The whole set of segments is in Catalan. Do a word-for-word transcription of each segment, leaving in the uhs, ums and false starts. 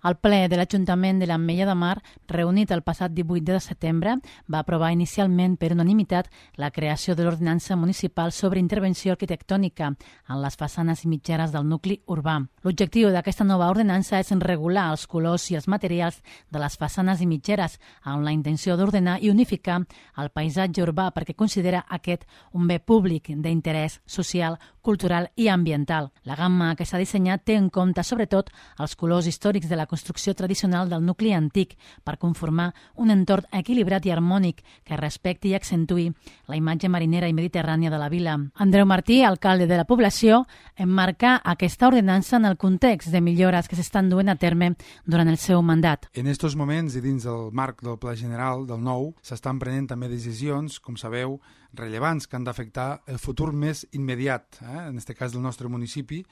El ple de l'Ajuntament de l'Ametlla de Mar, reunit el passat divuit de setembre, va aprovar inicialment per unanimitat la creació de l'Ordenança Municipal sobre Intervenció Arquitectònica en les façanes i mitgeres del nucli urbà. L'objectiu d'aquesta nova ordenança és regular els colors i els materials de les façanes i mitgeres amb la intenció d'ordenar i unificar el paisatge urbà perquè considera aquest un bé públic d'interès social, cultural i ambiental. La gamma que s'ha dissenyat té en compte sobretot els colors històrics de la construcció tradicional del nucli antic per conformar un entorn equilibrat i harmònic que respecti i accentuï la imatge marinera i mediterrània de la vila. Andreu Martí, alcalde de la població, emmarca aquesta ordenança en el context de millores que s'estan duent a terme durant el seu mandat. En aquests moments i dins del marc del Pla General del nou s'estan prenent també decisions, com sabeu, rellevants que han d'afectar el futur més immediat, eh? en aquest cas del nostre municipi,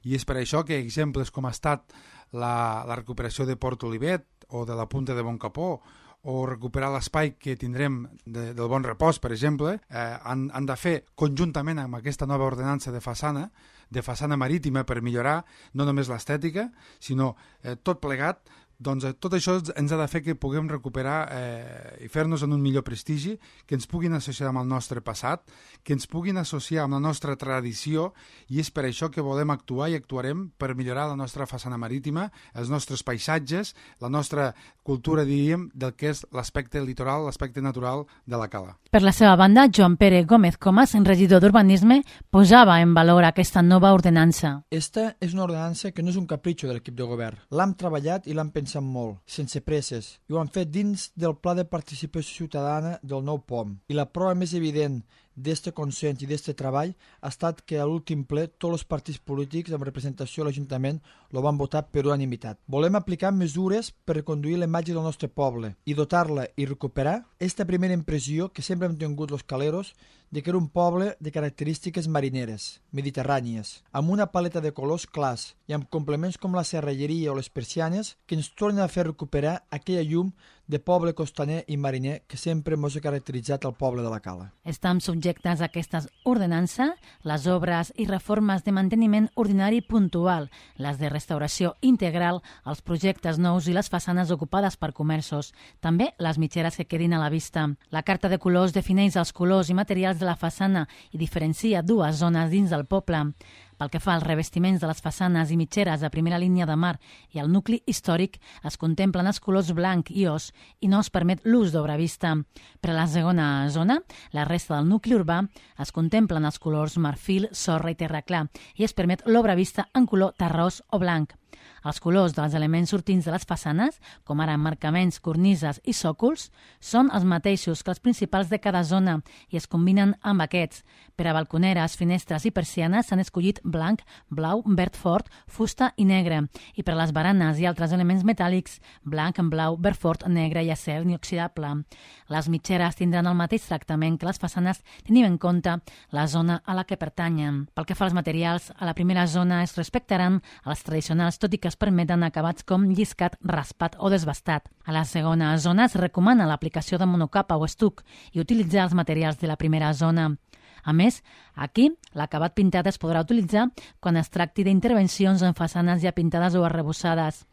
i és per això que exemples com ha estat la, la recuperació de Port Olivet o de la Punta de Boncapó o recuperar l'espai que tindrem de, del Bon Repòs, per exemple, eh, han, han de fer conjuntament amb aquesta nova ordenança de façana, de façana marítima per millorar no només l'estètica, sinó eh, tot plegat. Doncs tot això ens ha de fer que puguem recuperar eh, i fer-nos en un millor prestigi, que ens puguin associar amb el nostre passat, que ens puguin associar amb la nostra tradició, i és per això que volem actuar i actuarem per millorar la nostra façana marítima, els nostres paisatges, la nostra cultura, diríem, del que és l'aspecte litoral, l'aspecte natural de la cala. Per la seva banda, Joan Pere Gómez Comas, regidor d'Urbanisme, posava en valor aquesta nova ordenança. Esta és una ordenança que no és un capritxo de l'equip de govern. L'hem treballat i l'hem pensat molt, sense presses, i ho han fet dins del Pla de Participació Ciutadana del nou P O M. I la prova més evident d'este consens i d'este treball ha estat que a l'últim ple tots els partits polítics amb representació a l'Ajuntament lo van votar per unanimitat. Volem aplicar mesures per reconduir la imatge del nostre poble i dotar-la i recuperar esta primera impressió que sempre hem tingut los caleros de que era un poble de característiques marineres, mediterrànies, amb una paleta de colors clars i amb complements com la serralleria o les persianes que ens tornen a fer recuperar aquella llum de poble costaner i mariner que sempre ens ha caracteritzat el poble de la Cala. Estan subjectes a aquestes ordenances les obres i reformes de manteniment ordinari puntual, les de restauració integral, els projectes nous i les façanes ocupades per comerços, també les mitgeres que quedin a la vista. La carta de colors defineix els colors i materials de la façana i diferencia dues zones dins del poble. Pel que fa als revestiments de les façanes i mitgeres de primera línia de mar i al nucli històric, es contemplen els colors blanc i os i no es permet l'ús d'obra vista. Per a la segona zona, la resta del nucli urbà, es contemplen els colors marfil, sorra i terra clar i es permet l'obra vista en color terrós o blanc. Els colors dels elements sortints de les façanes, com ara emmarcaments, cornises i sòcols, són els mateixos que els principals de cada zona i es combinen amb aquests. Per a balconeres, finestres i persianes s'han escollit blanc, blau, verd fort, fusta i negre. I per a les baranes i altres elements metàl·lics, blanc, blau, verd fort, negre i acer inoxidable. Les mitgeres tindran el mateix tractament que les façanes tenint en compte la zona a la que pertanyen. Pel que fa als materials, a la primera zona es respectaran els tradicionals, tot i que es permeten acabats com lliscat, raspat o desbastat. A la segona zona es recomana l'aplicació de monocapa o estuc i utilitzar els materials de la primera zona. A més, aquí l'acabat pintat es podrà utilitzar quan es tracti d'intervencions en façanes ja pintades o arrebossades.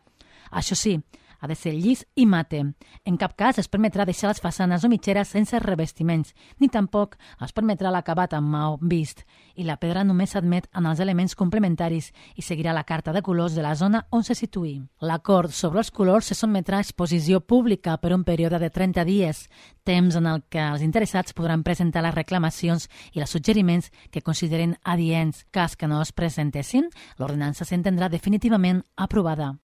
Això sí, ha de ser llis i mate. En cap cas es permetrà deixar les façanes o mitgeres sense revestiments, ni tampoc es permetrà l'acabat amb maó vist. I la pedra només s'admet en els elements complementaris i seguirà la carta de colors de la zona on se situï. L'acord sobre els colors se sotmetrà a exposició pública per un període de trenta dies, temps en el que els interessats podran presentar les reclamacions i els suggeriments que consideren adients. Cas que no es presentessin, l'ordenança s'entendrà definitivament aprovada.